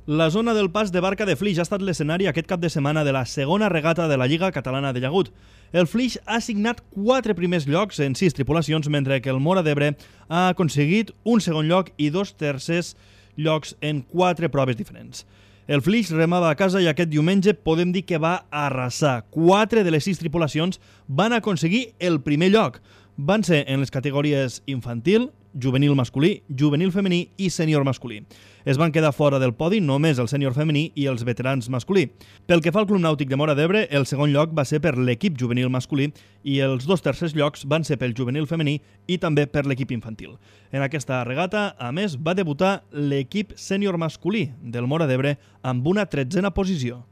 La zona del pas de Barca de Flix ha estat l'escenari aquest cap de setmana de la segona regata de la Lliga Catalana de Llagut. El Flix ha assignat 4 primers llocs en 6 tripulacions, mentre que el Móra d'Ebre ha aconseguit un segon lloc i 2 tercers llocs en 4 proves diferents. El Flix remava a casa i aquest diumenge podem dir que va arrasar. 4 de les 6 tripulacions van aconseguir el primer lloc. Van ser en les categories infantil, juvenil masculí, juvenil femení i sènior masculí. Es van quedar fora del podi només el sènior femení i els veterans masculí. Pel que fa al Club Nàutic de Móra d'Ebre, el segon lloc va ser per l'equip juvenil masculí i els 2 tercers llocs van ser pel juvenil femení i també per l'equip infantil. En aquesta regata, a més, va debutar l'equip sènior masculí del Móra d'Ebre amb una 13a posició.